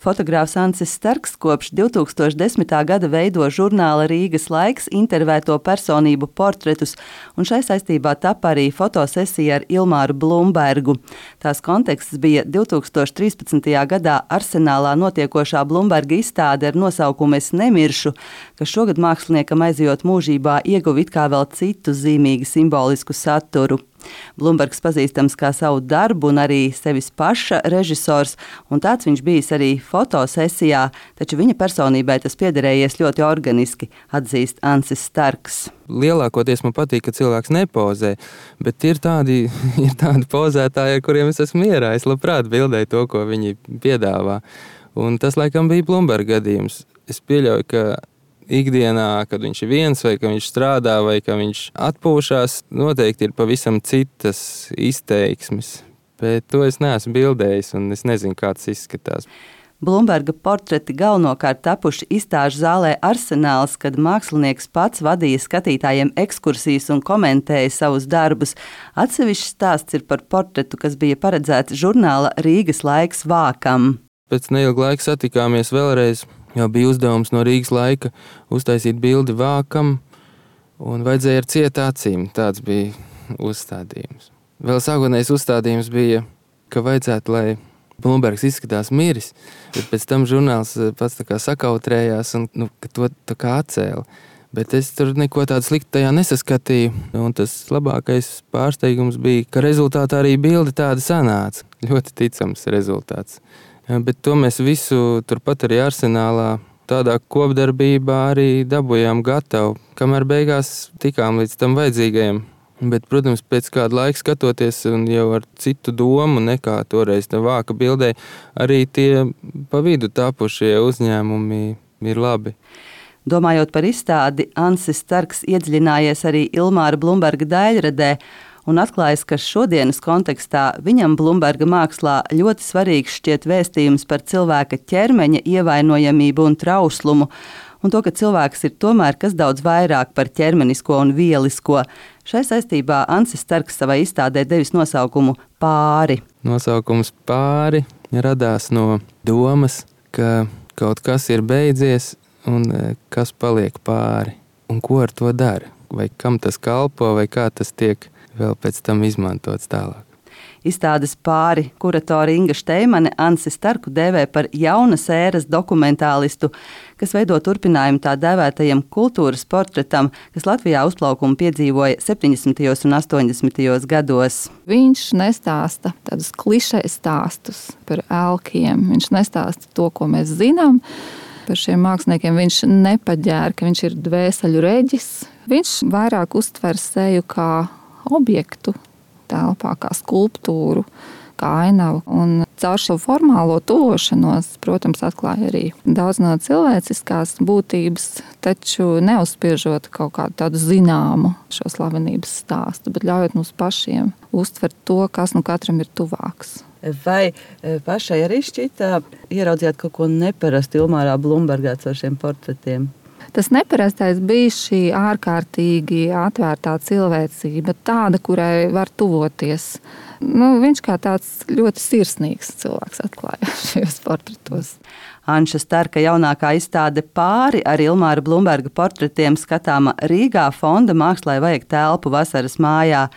Fotogrāfs Ansis Starks kopš 2010. gada veido žurnāla Rīgas laiks intervēto personību portretus, un šai saistībā tapa arī fotosesija ar Ilmāru Blumbergu. Tās konteksts bija 2013. gadā Arsenālā notiekošā Blumberga izstāde ar nosaukumu Es nemiršu, kas šogad māksliniekam aizejot mūžībā ieguva it kā vēl citu zīmīgi simbolisku saturu. Blumbergs pazīstams kā savu darbu un arī sevis paša režisors, un tāds viņš bijis arī fotosesijā, taču viņa personībai tas piederējies ļoti organiski, atzīst Ansis Starks. Lielākoties man patīk, ka cilvēks nepozē, bet ir tādi pozētāji, ar kuriem es esmu mierā. Es labprāt bildēju to, ko viņi piedāvā. Un tas laikam bija Blumberga gadījums. Es pieļauju, ka ikdienā, kad viņš ir viens, vai ka viņš strādā, vai ka viņš atpūšās, noteikti ir pavisam citas izteiksmes. Bet to es neesmu bildējis, un es nezinu, kā tas izskatās. Blumberga portreti galvenokārt tapuši izstāžu zālē Arsenāls, kad mākslinieks pats vadīja skatītājiem ekskursijas un komentēja savus darbus. Atsevišķs stāsts ir par portretu, kas bija paredzēts žurnāla Rīgas laiks vākam. Pēc neilga laika satikāmies vēlreiz. Jau bija uzdevums no Rīgas laika uztaisīt bildi vākam, un vajadzēja ar cietu acīm. Tāds bija uzstādījums. Vēl sākotnējais uzstādījums bija, ka vajadzētu, lai Blumbergs izskatās miris, bet pēc tam žurnāls pats tā kā sakautrējās un ka to tā kā atcēla. Bet es tur neko tādu sliktu tajā nesaskatīju, un tas labākais pārsteigums bija, ka rezultātā arī bilde tāda sanāca. Ļoti ticams rezultāts. Bet to mēs visu turpat arī Arsenālā tādā kopdarbībā arī dabūjām gatavu, kamēr beigās tikām līdz tam vajadzīgajam. Bet, protams, pēc kāda laika skatoties un jau ar citu domu nekā toreiz tā vāka bildē, arī tie pa vidu tapušie uzņēmumi ir labi. Domājot par izstādi, Ansis Starks iedziļinājies arī Ilmāra Blumberga daļradē, un atklājas, ka šodienas kontekstā viņam Blumberga mākslā ļoti svarīgs šķiet vēstījums par cilvēka ķermeņa ievainojamību un trauslumu, un to, ka cilvēks ir tomēr kas daudz vairāk par ķermenisko un vielisko. Šai saistībā Ansis Starks savai izstādē devis nosaukumu Pāri. Nosaukums Pāri radās no domas, ka kaut kas ir beidzies un kas paliek pāri, un ko ar to dara, vai kam tas kalpo, vai kā tas tiek vēl pēc tam izmantots tālāk. Izstādes Pāri kuratore Inga Šteimane Ansi Starku dēvē par jaunas ēras dokumentālistu, kas veido turpinājumu tā dēvētajam kultūras portretam, kas Latvijā uzplaukumu piedzīvoja 70. un 80. gados. Viņš nestāsta tādus klišejas stāstus par elkiem. Viņš nestāsta to, ko mēs zinām par šiem māksliniekiem. Viņš nepaģēra, ka viņš ir dvēseļu reģis. Viņš vairāk uztver seju kā objektu telpā, kā skulptūru, kā ainavu. Un caur šo formālo tuvošanos, protams, atklāja arī daudz no cilvēciskās būtības, taču neuzspiežot kaut kādu tādu zināmu šo slavenības stāstu, bet ļaujot mums pašiem uztvert to, kas nu katram ir tuvāks. Vai pašai arī šķita ieraudzījāt kaut ko neparastu Ilmārā Blumbergā caur šiem portretiem? Tas neparastais bija šī ārkārtīgi atvērtā cilvēcība, tāda, kurai var tuvoties. Viņš kā tāds ļoti sirsnīgs cilvēks atklājās šajos portretos. Anša Starka jaunākā izstāde Pāri ar Ilmāra Blumberga portretiem skatāma Rīgā Fonda Mākslai vajag telpu vasaras mājā.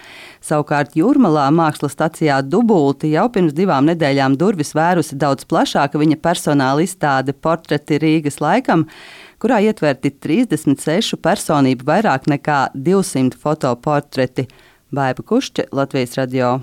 Savukārt Jūrmalā mākslas stacijā Dubulti jau pirms 2 nedēļām durvis vērusi daudz plašāka viņa personāla izstāde Portreti Rīgas laikam, kurā ietverti 36 personību vairāk nekā 200 fotoportreti. Baiba Kušķe, Latvijas radio.